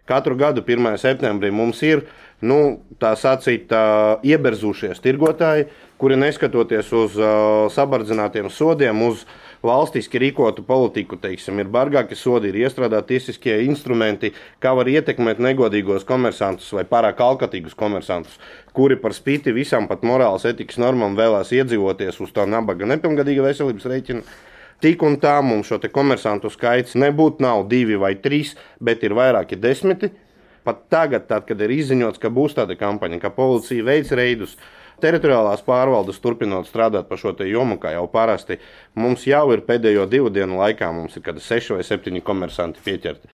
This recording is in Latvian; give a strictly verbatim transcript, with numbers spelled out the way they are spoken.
Katru gadu pirmajā septembrī mums ir nu, tā sacīt, uh, ieberzušies tirgotāji, kuri neskatoties uz uh, sabardzinātiem sodiem, uz valstiski rīkotu politiku, teiksim, ir bargāki sodi, ir iestrādāti tiesiskie instrumenti, kā var ietekmēt negodīgos komersantus vai pārāk alkatīgus komersantus, kuri par spīti visam pat morāles etikas normām vēlās iedzīvoties uz tā nabaga nepilngadīga veselības rēķina. Tik un tā mums šo te komersantu skaits nebūtu nav divi vai trīs, bet ir vairāki desmiti. Pat tagad, tad, kad ir izziņots, ka būs tāda kampaņa, ka policija veic reidus, teritoriālās pārvaldes turpinot strādāt par šo te jomu, kā jau parasti, mums jau ir pēdējo divu dienu laikā, mums ir kādi seši vai septiņi komersanti pieķerti.